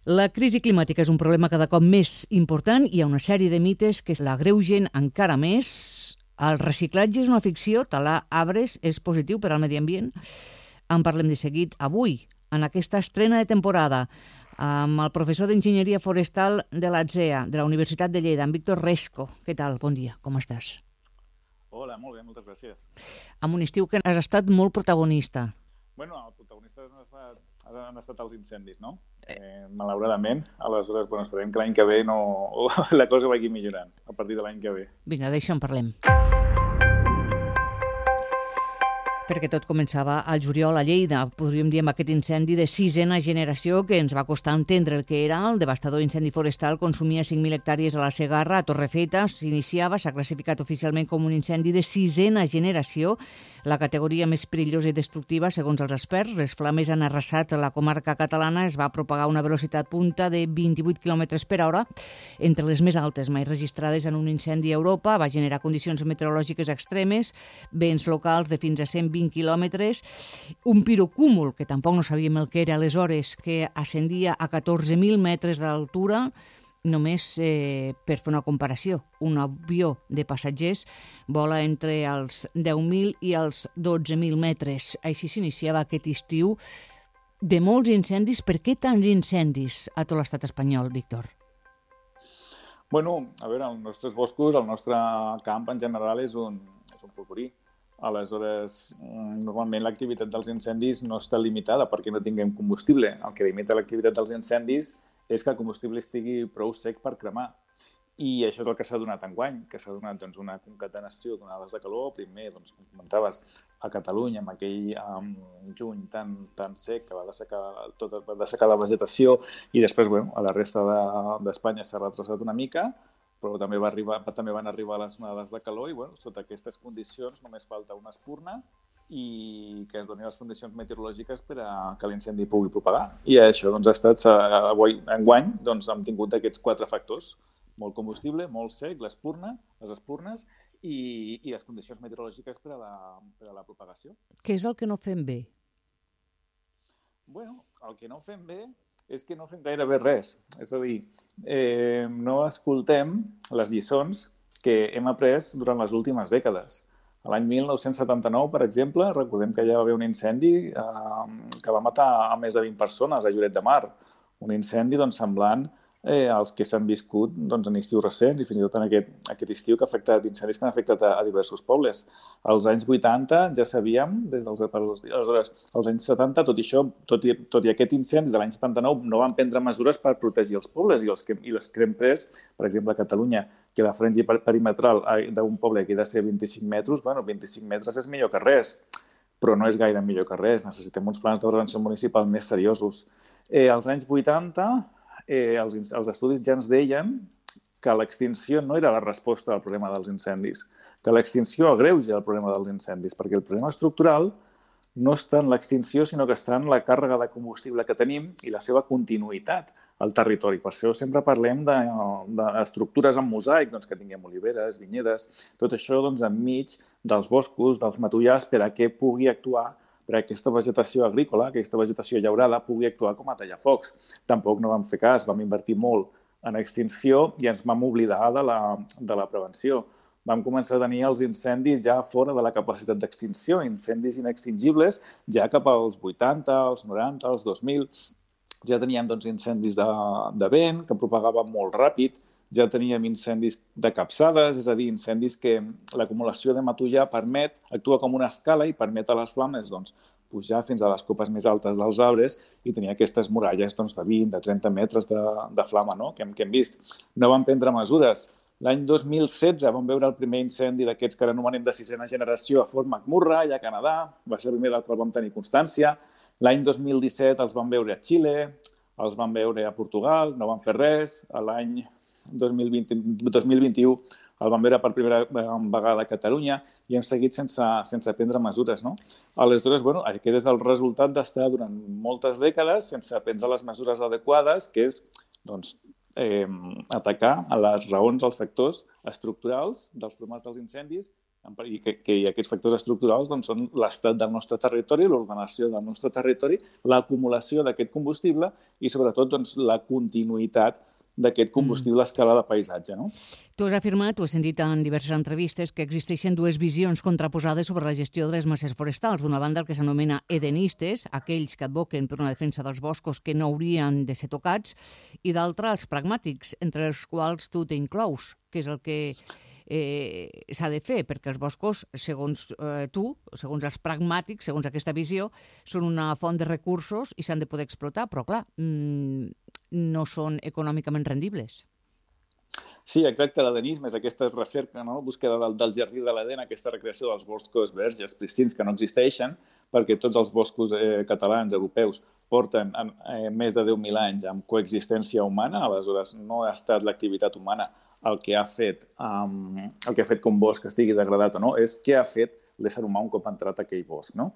La crisi climàtica és un problema cada cop més important i hi ha una sèrie de mites que l'agreugen encara més. El reciclatge és una ficció, talar arbres és positiu per al medi ambient. En parlem de seguit avui, en aquesta estrena de temporada, amb el professor d'Enginyeria Forestal de l'ATSEA, de la Universitat de Lleida, en Víctor Resco. Què tal? Bon dia, com estàs? Hola, molt bé, moltes gràcies. Amb un estiu que has estat molt protagonista. Bueno, el protagonista han estat els incendis, no? Malauradament, aleshores, esperem que l'any que ve la cosa vagi millorant, a partir de l'any que ve. Vinga, d'això en parlem. Perquè tot començava al juliol a Lleida, podríem dir amb aquest incendi de sisena generació que ens va costar entendre el que era. El devastador incendi forestal consumia 5.000 hectàrees a la Segarra, a Torrefeta, s'ha classificat oficialment com un incendi de sisena generació, la categoria més perillosa i destructiva, segons els experts. Les flames han arrasat la comarca catalana, es va propagar a una velocitat punta de 28 km per hora, entre les més altes mai registrades en un incendi a Europa, va generar condicions meteorològiques extremes, vents locals de fins a 120 quilòmetres, un pirocúmul, que tampoc no sabíem el que era aleshores, que ascendia a 14.000 metres d'altura. Només per fer una comparació, un avió de passatgers vola entre els 10.000 i els 12.000 metres. Així s'iniciava aquest estiu de molts incendis. Per què tants incendis a tot l'estat espanyol, Víctor? Bueno, a veure, els nostres boscos, el nostre camp en general és un polvorí. Aleshores, normalment l'activitat dels incendis no està limitada perquè no tinguem combustible. El que limita l'activitat dels incendis és que el combustible estigui prou sec per cremar. I això és el que s'ha donat enguany, que s'ha donat una concatenació d'onades de calor, primer, com comentaves, a Catalunya, amb aquell juny tan sec que va dessecar la vegetació, i després, a la resta d'Espanya s'ha retrasat una mica, però també van arribar les onades de calor i, sota aquestes condicions només falta una espurna i que es donin les condicions meteorològiques per a que l'incendi pugui propagar. I això ha estat, enguany, hem tingut aquests 4 factors: molt combustible, molt sec, les espurnes i les condicions meteorològiques per a la propagació. Què és el que no fem bé? El que no fem bé és que no fem gairebé res. És a dir, no escoltem les lliçons que hem après durant les últimes dècades. A l'any 1979, per exemple, recordem que ja va haver un incendi que va matar a més de 20 persones a Lloret de Mar. Un incendi semblant als que s'han viscut en estius recents i fins i tot en aquest estiu que ha afectat incendis que han afectat a diversos pobles. Als anys 80 ja sabíem, aleshores, als anys 70, tot i aquest incendi de l'any 79, no van prendre mesures per protegir els pobles i les que hem pres, per exemple, a Catalunya, que la franja perimetral d'un poble que ha de ser 25 metres, 25 metres és millor que res, però no és gaire millor que res. Necessitem uns plans de prevenció municipal més seriosos. Als anys 80, els estudis ja ens deien que l'extinció no era la resposta al problema dels incendis, que l'extinció agreuja el problema dels incendis, perquè el problema estructural no està en l'extinció, sinó que està en la càrrega de combustible que tenim i la seva continuïtat al territori. Per això sempre parlem d'estructures en mosaic, que tinguem oliveres, vinyedes, tot això enmig dels boscos, dels matollars, per a què pugui actuar, per aquesta vegetació agrícola, aquesta vegetació llaurada, pugui actuar com a tallafocs. Tampoc no vam fer cas, vam invertir molt en extinció i ens vam oblidar de la prevenció. Vam començar a tenir els incendis ja fora de la capacitat d'extinció, incendis inextingibles, ja cap als 80, als 90, als 2000. Ja teníem incendis de vent, que propagaven molt ràpid, ja teníem incendis de capçades, és a dir, incendis que l'acumulació de matollar actua com una escala i permet a les flames pujar fins a les copes més altes dels arbres i tenir aquestes muralles de 20, de 30 metres de flama que hem vist. No vam prendre mesures. L'any 2016 vam veure el primer incendi d'aquests que ara anomenem de sisena generació a Fort McMurray, a Canadà. Va ser el primer del qual vam tenir constància. L'any 2017 els vam veure a Xile, els vam veure a Portugal, no van fer res. L'any 2021 el vam veure per primera vegada a Catalunya i hem seguit sense prendre mesures. Aleshores, aquest és el resultat d'estar durant moltes dècades sense prendre les mesures adequades, que és atacar a les raons, als factors estructurals dels problemes dels incendis i que aquests factors estructurals doncs, són l'estat del nostre territori, l'ordenació del nostre territori, l'acumulació d'aquest combustible i, sobretot, doncs, la continuïtat d'aquest combustible a escala de paisatge. No? Tu has afirmat, tu has sentit en diverses entrevistes, que existeixen dues visions contraposades sobre la gestió de les masses forestals. D'una banda, el que s'anomena edenistes, aquells que advoquen per una defensa dels boscos que no haurien de ser tocats, i d'altra, els pragmàtics, entre els quals tu t'inclous, que és el que s'ha de fer, perquè els boscos, segons tu, segons els pragmàtics, segons aquesta visió, són una font de recursos i s'han de poder explotar, però clar, no són econòmicament rendibles. Sí, exacte, l'edenisme és aquesta recerca, no? Búsqueda del jardí de l'Eden, aquesta recreació dels boscos verges pristins que no existeixen, perquè tots els boscos catalans, europeus, porten més de 10.000 anys amb coexistència humana, aleshores no ha estat l'activitat humana el que ha fet que un bosc estigui degradat o no, és què ha fet l'ésser humà un cop ha entrat a aquell bosc, no?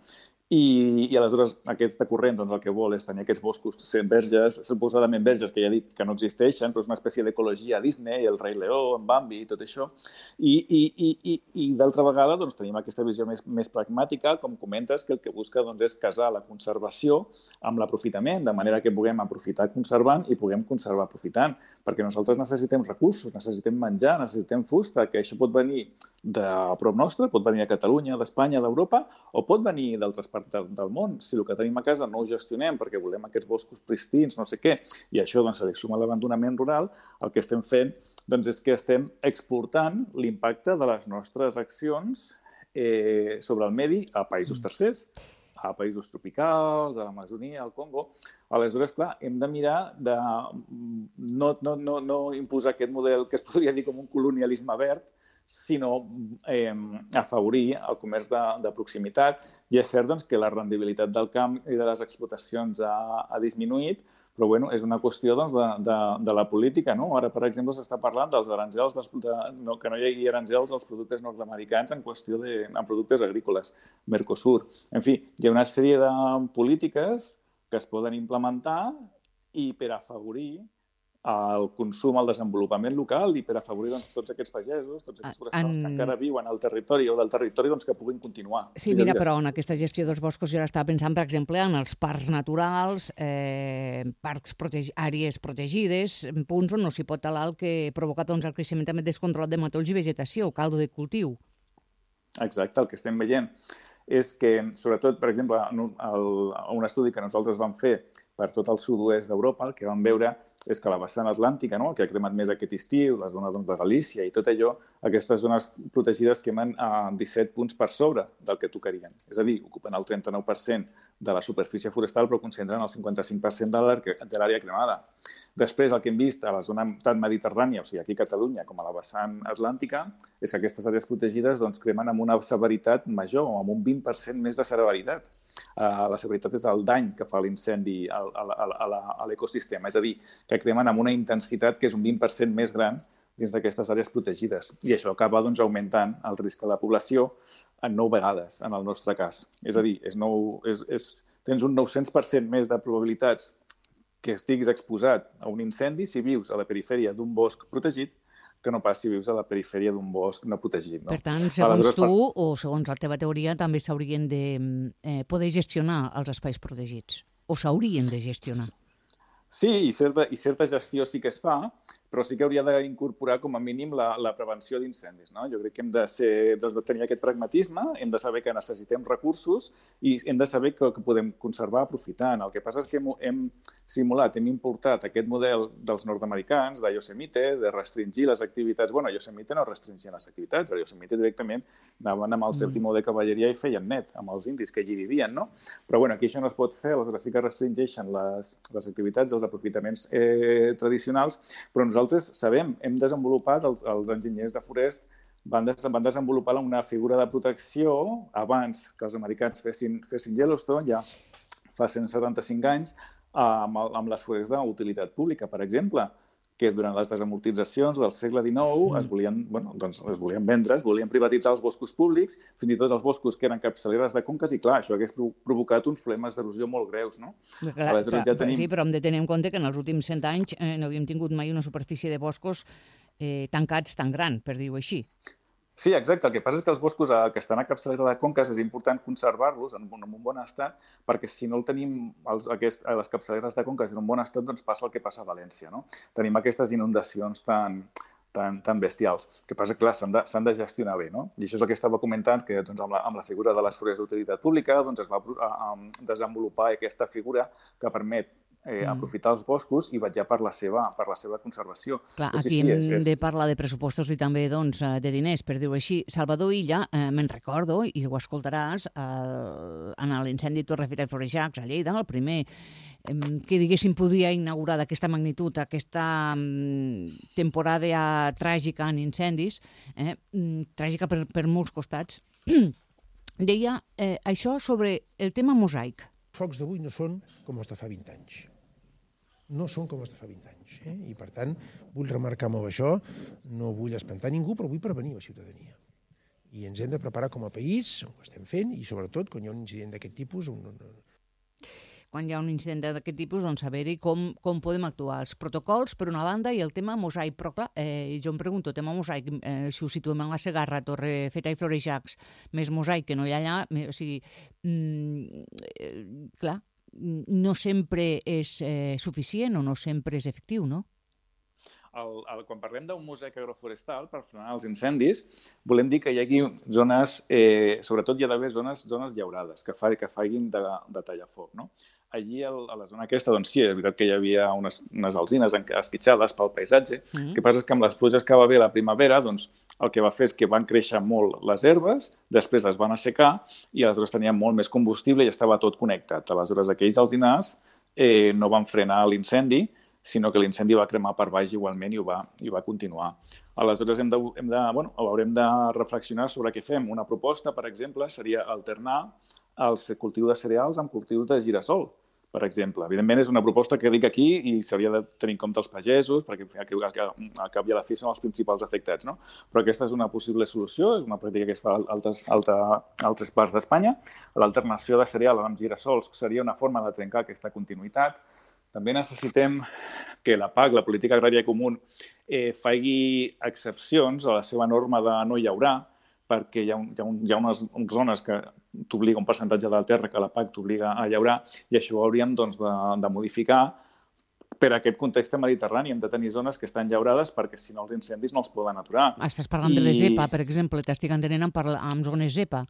I aleshores aquest corrent doncs, el que vol és tenir aquests boscos verges, suposadament verges, que ja he dit que no existeixen, però és una espècie d'ecologia Disney, el Rei Leó, en Bambi i tot això. I d'altra vegada doncs, tenim aquesta visió més pragmàtica, com comentes, que el que busca doncs, és casar la conservació amb l'aprofitament, de manera que puguem aprofitar conservant i puguem conservar aprofitant, perquè nosaltres necessitem recursos, necessitem menjar, necessitem fusta, que això pot venir de prop nostre, pot venir de Catalunya, d'Espanya, d'Europa, o pot venir d'altres parts del món. Si el que tenim a casa no ho gestionem perquè volem aquests boscos pristins, no sé què, i això doncs, se li suma l'abandonament rural, el que estem fent doncs, és que estem exportant l'impacte de les nostres accions sobre el medi a països tercers, a països tropicals, a l'Amazonia, al Congo. Aleshores, clar, hem de mirar de no imposar aquest model que es podria dir com un colonialisme verd, sinó afavorir el comerç de proximitat. I és cert doncs, que la rendibilitat del camp i de les explotacions ha disminuït, però bueno, és una qüestió doncs, de la política. No? Ara, per exemple, s'està parlant dels aranzels, que no hi hagi aranzels als productes nord-americans en qüestió en productes agrícoles, Mercosur. En fi, hi ha una sèrie de polítiques que es poden implementar i per afavorir el consum, el desenvolupament local i per afavorir doncs, tots aquests pagesos, tots aquests forestals que encara viuen al territori o del territori doncs, que puguin continuar. Sí, mira, però en aquesta gestió dels boscos jo ara estava pensant, per exemple, en els parcs naturals, àrees protegides, punts on no s'hi pot talar, el que provoca doncs, el creixement també descontrolat de matolls i vegetació, caldo de cultiu. Exacte, el que estem veient és que, sobretot, per exemple, un estudi que nosaltres vam fer per tot el sud-oest d'Europa, el que vam veure és que la vessant atlàntica, no? El que ha cremat més aquest estiu, la zona de Galícia i tot allò, aquestes zones protegides quemen a 17 punts per sobre del que tocarien. És a dir, ocupen el 39% de la superfície forestal però concentren el 55% de l'àrea cremada. Després, el que hem vist a la zona tant mediterrània, o sigui, aquí a Catalunya, com a la vessant atlàntica, és que aquestes àrees protegides doncs, cremen amb una severitat major, amb un 20% més de severitat. La severitat és el dany que fa l'incendi a l'ecosistema, és a dir, que cremen amb una intensitat que és un 20% més gran dins d'aquestes àrees protegides. I això acaba doncs, augmentant el risc a la població en 9 vegades, en el nostre cas. És a dir, tens un 900% més de probabilitats que estiguis exposat a un incendi si vius a la perifèria d'un bosc protegit que no pas si vius a la perifèria d'un bosc no protegit. No? Per tant, segons tu, o segons la teva teoria, també s'haurien de poder gestionar els espais protegits, o s'haurien de gestionar. Sí, i certa gestió sí que es fa, però sí que hauria d'incorporar com a mínim la prevenció d'incendis. No? Jo crec que hem de tenir aquest pragmatisme, hem de saber que necessitem recursos i hem de saber que podem conservar aprofitant. El que passa és que hem simulat, hem importat aquest model dels nord-americans, de Yosemite, de restringir les activitats. Bueno, Yosemite no restringien les activitats, però Yosemite directament anaven amb el seu timó de cavalleria i feien net amb els indis que allí vivien. No? Però bueno, aquí això no es pot fer, aleshores sí que restringeixen les activitats, els aprofitaments tradicionals, però nosaltres sabem, hem desenvolupat, els enginyers de Forest van desenvolupar una figura de protecció abans que els americans fessin Yellowstone, ja fa 175 anys, amb les forests d'utilitat pública, per exemple, que durant les desamortitzacions del segle XIX es volien vendre, es volien privatitzar els boscos públics, fins i tot els boscos que eren capçaleres de conques, i clar, això hagués provocat uns problemes d'erosió molt greus, no? Sí, però hem de tenir en compte que en els últims 100 anys no havíem tingut mai una superfície de boscos tancats tan gran, per dir-ho així. Sí, exacte. El que passa és que els boscos que estan a capçalera de conques és important conservar-los en un bon estat, perquè si no el tenim a les capçaleres de conques en un bon estat, doncs passa el que passa a València, no? Tenim aquestes inundacions tan bestials. El que passa, clar, s'han de gestionar bé, no? I això és el que estava comentant, que doncs, amb la figura de les forests d'utilitat pública doncs, es va desenvolupar aquesta figura que permet aprofitar els boscos i vetllar per la seva conservació. Clar, Però aquí hem de parlar de pressupostos i també doncs, de diners, per dir-ho així. Salvador Illa, me'n recordo, i ho escoltaràs, en l'incendi de Torrefeta i Florejacs, a Lleida, el primer que, diguéssim, podia inaugurar d'aquesta magnitud, aquesta temporada tràgica en incendis, tràgica per molts costats, deia això sobre el tema mosaic. Els focs d'avui no són com els de fa 20 anys. No són com els de fa 20 anys. I, per tant, vull remarcar molt això, no vull espantar ningú, però vull prevenir la ciutadania. I ens hem de preparar com a país, ho estem fent, i sobretot, quan hi ha un incident d'aquest tipus... Quan hi ha un incident d'aquest tipus, doncs saber-hi com podem actuar. Els protocols, per una banda, i el tema mosaic. Però, clar, jo em pregunto, tema mosaic, si ho situem en la Segarra, Torrefeta i Florejacs, més mosaic que no hi ha allà, o sigui, clar, no sempre és suficient o no sempre és efectiu, no? Quan parlem d'un mosaic agroforestal per frenar els incendis, volem dir que hi hagi zones, sobretot hi ha d'haver zones llaurades, que facin de tallafoc, no? Allí, a la zona aquesta, doncs sí, és veritat que hi havia unes alzines esquitxades pel paisatge. El que passa és que amb les pluges que va haver la primavera, doncs el que va fer és que van créixer molt les herbes, després es van assecar i aleshores tenien molt més combustible i estava tot connectat. Aleshores, aquells alzinars no van frenar l'incendi, sinó que l'incendi va cremar per baix igualment i va continuar. Aleshores, haurem de reflexionar sobre què fem. Una proposta, per exemple, seria alternar el cultiu de cereals amb cultius de girassol, per exemple. Evidentment, és una proposta que dic aquí i s'hauria de tenir en compte els pagesos, perquè al cap i a la fi són els principals afectats, no? Però aquesta és una possible solució, és una pràctica que es fa a altres parts d'Espanya. L'alternació de cereal amb girassols seria una forma de trencar aquesta continuïtat. També necessitem que la PAC, la Política Agrària Comú, faci excepcions a la seva norma de no llaurar, perquè hi ha unes zones que t'obliga un percentatge de la terra que la PAC t'obliga a llaurar i això ho hauríem de modificar per aquest context mediterrani. Hem de tenir zones que estan llaurades perquè si no els incendis no els poden aturar. Estàs parlant de les EPA, per exemple, t'estic entenent amb zones EPA.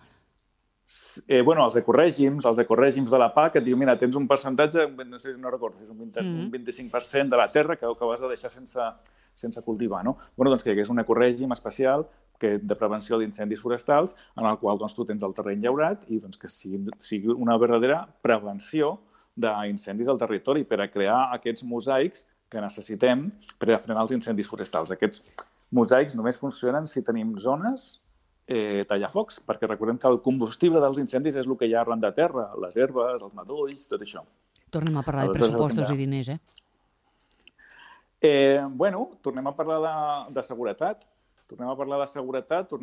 Els ecorègims de la PAC et diu, mira, tens un percentatge, no recordo, és un 25% de la terra que has de deixar sense cultivar, no? Doncs que hi hagués un ecorègim especial de prevenció d'incendis forestals en el qual tu tens el terreny llaurat i que sigui una verdadera prevenció d'incendis al territori per a crear aquests mosaics que necessitem per a frenar els incendis forestals. Aquests mosaics només funcionen si tenim zones tallafocs, perquè recordem que el combustible dels incendis és el que hi ha arran de terra, les herbes, els matolls, tot això. Tornem a parlar de pressupostos i diners, tornem a parlar de seguretat. Tornem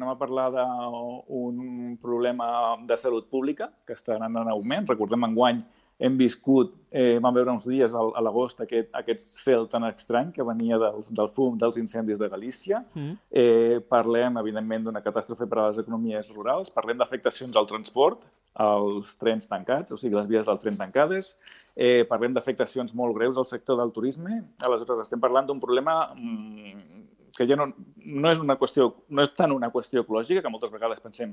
a parlar d'un problema de salut pública que està anant en augment. Recordem, enguany hem viscut, vam veure uns dies a l'agost aquest cel tan estrany que venia del fum dels incendis de Galícia. Parlem, evidentment, d'una catàstrofe per a les economies rurals. Parlem d'afectacions al transport, als trens tancats, o sigui, les vies del tren tancades. Parlem d'afectacions molt greus al sector del turisme. Aleshores, estem parlant d'un problema que ja no és tant una qüestió ecològica, que moltes vegades pensem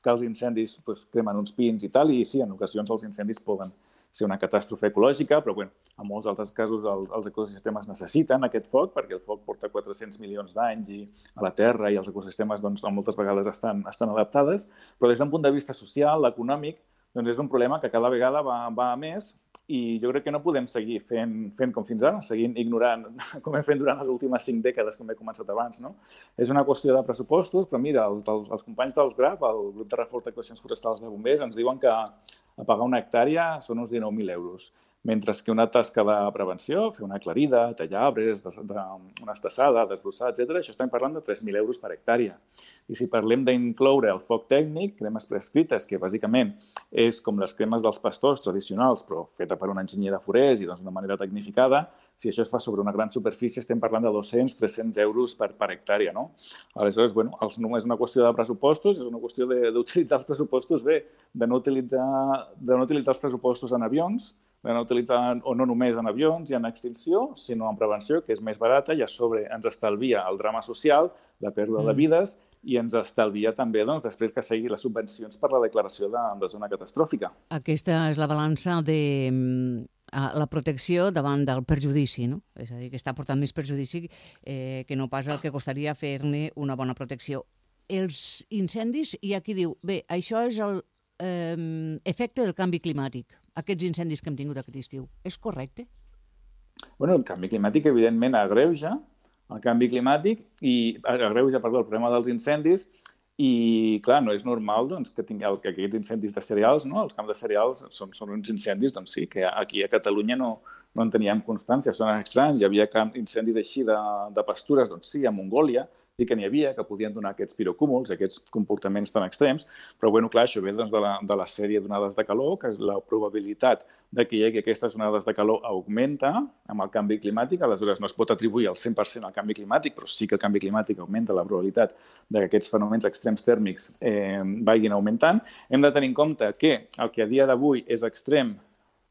que els incendis cremen uns pins i tal, i sí, en ocasions els incendis poden ser una catàstrofe ecològica, però en molts altres casos els ecosistemes necessiten aquest foc, perquè el foc porta 400 milions d'anys a la Terra i els ecosistemes moltes vegades estan adaptades, però des d'un punt de vista social, econòmic, és un problema que cada vegada va a més i jo crec que no podem seguir fent com fins ara, seguint ignorant com hem fet durant les últimes 5 dècades, com he començat abans, no? És una qüestió de pressupostos, però mira, els companys dels GRAF, el grup de reforç d'actuacions forestals de bombers, ens diuen que pagar una hectàrea són uns 19.000 euros, mentre que una tasca de prevenció, fer una aclarida, tallar arbres, una estassada, desbrossar, etc., això estem parlant de 3.000 euros per hectàrea. I si parlem d'incloure el foc tècnic, cremes prescrites, que bàsicament és com les cremes dels pastors tradicionals, però feta per un enginyer de forest i d'una manera tecnificada, Si això es fa sobre una gran superfície, estem parlant de 200-300 euros per hectàrea, no? Aleshores, bueno, és una qüestió de pressupostos, és una qüestió d'utilitzar els pressupostos bé, de no utilitzar els pressupostos en avions, de no utilitzar, o no només en avions i en extinció, sinó en prevenció, que és més barata i a sobre ens estalvia el drama social, la pèrdua de vides, i ens estalvia també, doncs, després que sigui les subvencions per la declaració de zona catastròfica. Aquesta és la balança de la protecció davant del perjudici, no? És a dir, que està portant més perjudici que no pas el que costaria fer-ne una bona protecció. Els incendis, hi ha qui diu, bé, això és l'efecte del canvi climàtic, aquests incendis que hem tingut aquest estiu. És correcte? Bueno, el canvi climàtic, evidentment, agreuja el canvi climàtic i agreuja, el problema dels incendis i, clar, no és normal doncs, que aquests incendis de cereals, no? Els camps de cereals són uns incendis, doncs sí, que aquí a Catalunya no en teníem constància, són estranys. Hi havia incendis així de pastures, doncs sí, a Mongòlia, sí que n'hi havia, que podien donar aquests pirocúmuls, aquests comportaments tan extrems, però, bueno, clar, això ve doncs, de la sèrie d'onades de calor, que és la probabilitat de que hi hagi aquestes onades de calor augmenta amb el canvi climàtic, aleshores no es pot atribuir al 100% al canvi climàtic, però sí que el canvi climàtic augmenta la probabilitat de que aquests fenòmens extrems tèrmics vagin augmentant. Hem de tenir en compte que el que a dia d'avui és extrem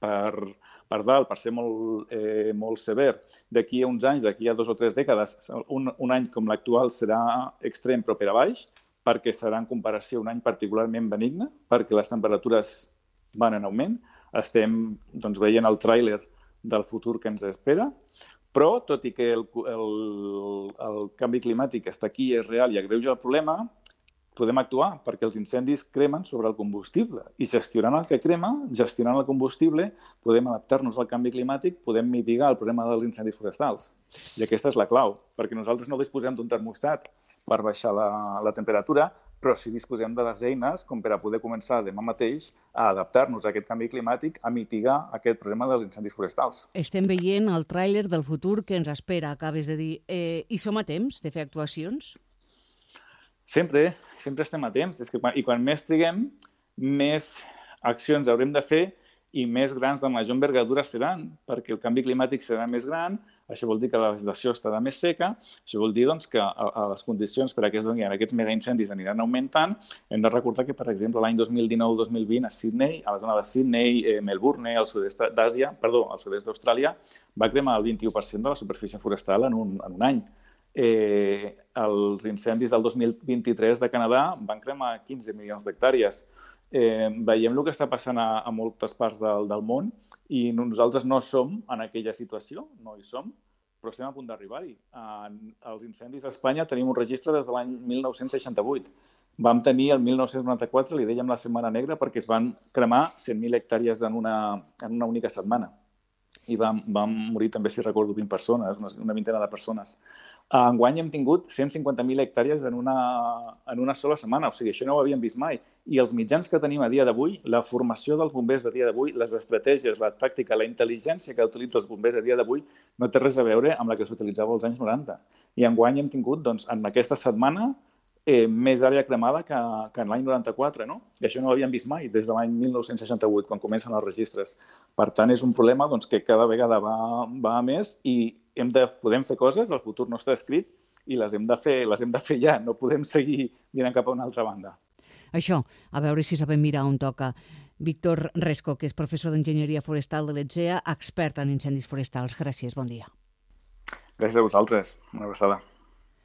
per dalt, per ser molt sever, d'aquí a uns anys, d'aquí a 2 o 3 dècades, un any com l'actual serà extrem però per a baix, perquè serà en comparació un any particularment benigne, perquè les temperatures van en augment, estem veient el tràiler del futur que ens espera, però tot i que el canvi climàtic està aquí, és real i agreuja el problema, podem actuar, perquè els incendis cremen sobre el combustible i gestionant el que crema, gestionant el combustible, podem adaptar-nos al canvi climàtic, podem mitigar el problema dels incendis forestals. I aquesta és la clau, perquè nosaltres no disposem d'un termostat per baixar la temperatura, però sí disposem de les eines com per a poder començar demà mateix a adaptar-nos a aquest canvi climàtic, a mitigar aquest problema dels incendis forestals. Estem veient el tràiler del futur que ens espera, acabes de dir. I som a temps de fer actuacions? Sempre estem a temps. I quan més triguem, més accions haurem de fer i més grans de major envergadura seran, perquè el canvi climàtic serà més gran, això vol dir que la vegetació estarà més seca, això vol dir que les condicions per a que es donin aquests megaincendis aniran augmentant. Hem de recordar que, per exemple, l'any 2019-2020 a Sydney, a la zona de Sydney, Melbourne, al sud-est d'Austràlia, va cremar el 21% de la superfície forestal en un any. Els incendis del 2023 de Canadà van cremar 15 milions d'hectàrees. Veiem el que està passant a moltes parts del món i nosaltres no som en aquella situació, no hi som, però estem a punt d'arribar-hi. Els incendis a Espanya tenim un registre des de l'any 1968. Vam tenir el 1994, li dèiem la Setmana Negra, perquè es van cremar 100.000 hectàrees en una única setmana. I van morir també, si recordo, 20 persones, una vintena de persones. Enguany hem tingut 150.000 hectàrees en una sola setmana, o sigui, això no ho havíem vist mai. I els mitjans que tenim a dia d'avui, la formació dels bombers a dia d'avui, les estratègies, la tàctica, la intel·ligència que utilitzen els bombers a dia d'avui no té res a veure amb la que s'utilitzava als anys 90. I enguany hem tingut, en aquesta setmana, més àrea cremada que en l'any 94, no? I això no ho havíem vist mai, des de l'any 1968, quan comencen els registres. Per tant, és un problema que cada vegada va a més i podem fer coses, el futur no està escrit, i les hem de fer ja, no podem seguir mirant cap a una altra banda. Això, a veure si sabem mirar on toca. Víctor Resco, que és professor d'Enginyeria Forestal de l'ETSEA, expert en incendis forestals. Gràcies, bon dia. Gràcies a vosaltres. Una abraçada.